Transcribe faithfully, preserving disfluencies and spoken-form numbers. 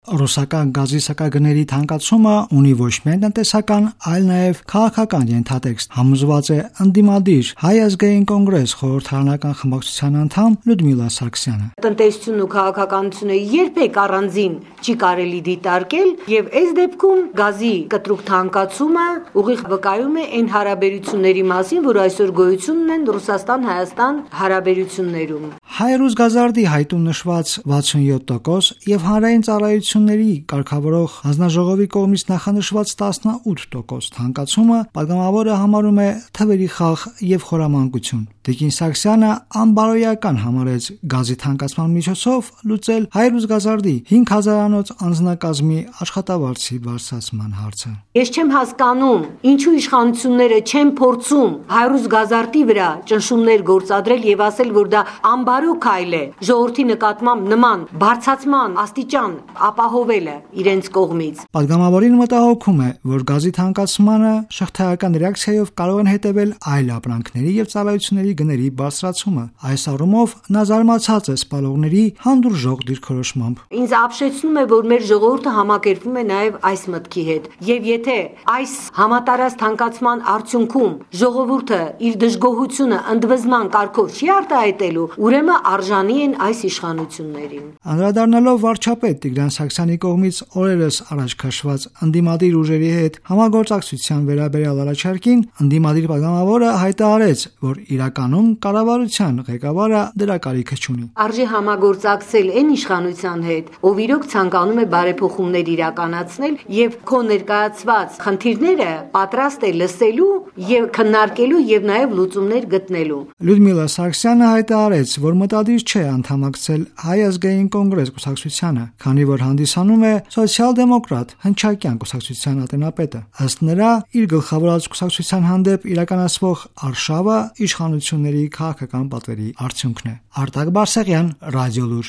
Ռուսական գազի սակագների թանկացումը ունի ոչ միայն տնտեսական, այլ նաև քաղաքական ենթատեքստ, համոզված է ընդդիմադիր Հայ ազգային կոնգրես խորհրդարանական խմբակցության անդամ Լյուդմիլա Սարգսյանը։ Տնտեսությունն ու քաղաքականությունը երբեք առանձին չի կարելի դիտարկել, եւ այս դեպքում գազի կտրուկ թանկացումը ուղիղ վկայում է այն հարաբերությունների մասին, որ այսօր գոյություն ունեն Ռուսաստան-Հայաստան հարաբերություններում։ Հայ-ռուս գազարդի հայտում նշված վաթսունյոթ տոկոս եւ հանրային ծառայությունների կարգավորող հանձնաժողովի կողմից նախանշված տասնութ տոկոս թանկացումը պատգամավորը համարում է թվերի խաղ եւ խորամանկություն։ Տիկին Սարգսյանը անբարոյական համարեց գազի թանկացման միջոցով լուծել հայ-ռուս գազարդի հինգ հազարանոց անձնակազմի աշխատավարձի բարձրացման հարցը։ Ես չեմ հասկանում, ինչու իշխանությունները չեն փորձում հայ-ռուս գազարդի վրա ճնշումներ գործադրել եւ ասել, որ դա անբարո քայլ է ժողովրդի նկատմամբ նման բարձրացման աստիճան ապահովելը իրենց կողմից։ Պատգամավորին մտահոգում է, որ գազի թանկացմանը շղթայական ռեակցիայով կարող են հետևել այլ ապրանքների եւ ծառայությունների գների բարձրացումը։ Այս առումով նա զարմացած է սպալողների հանդուրժող դիրքորոշմամբ։ Ինձ ապշեցնում է, որ մեր ժողովուրդը համակերպվում է նաեւ այս մտքի հետ, եւ եթե այս համատարած թանկացման արդյունքում ժողովուրդը իր դժգոհությունը ընդվզման կարգով չի արտահայտելու, ուրեմն արժանի են այս իշխանություններին։ Անդրադառնալով վարչապետ Տիգրան Սարգսյանի կողմից օրերս առաջ քաշված ընդդիմադիր ուժերի հետ համագործակցության վերաբերյալ առաջարկին, ընդդիմադիր պատգամավորը հայտարարեց, որ իրականում կառավարության ղեկավարը դրա կարիքը չունի։ Արժի համագործակցել այն իշխանության հետ, ով իրոք ցանկանում է բարեփոխումներ իրականացնել եւ քո ներկայացված խնդիրները պատրաստ է լսելու եւ քննարկելու եւ նաեւ լուծումներ գտնելու։ Լյուդմիլա Սարգսյանը հայտարարեց, որ մտադիր չէ անդամակցել Հայ ազգային կոնգրես կուսակցությանը, քանի որ հանդիսանում է սոցիալ-դեմոկրատ հնչակյան կուսակցության ատենապետը։ Ըստ նրա, իր գլխավորած կուսակցության հանդեպ իրականացվող արշավը իշխանությունների քաղաքական պատվերի արդյունքն է։ Արտակ Բարսեղյան, Ռադիոլուր։